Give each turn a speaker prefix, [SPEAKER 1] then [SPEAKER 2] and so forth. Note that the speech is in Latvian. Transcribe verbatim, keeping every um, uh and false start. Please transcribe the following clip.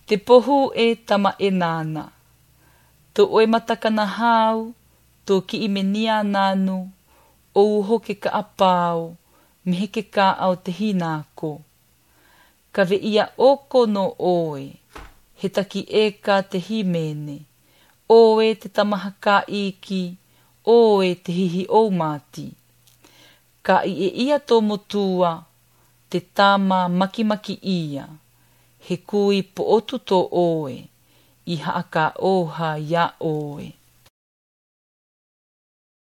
[SPEAKER 1] Te pohu e tama e nāna. Tō oe matakana hau, tō ki i menia nānu, o uho ke ka apao, me heke ka au te hinako. Ka ve ia oko no oe, he taki e ka te himene, oe te tamaha ka iki, oe te hihi o mati. Ka i e ia tō motua, te tama makimaki ia, he kui po otu tō oe, i haaka oha ia oe.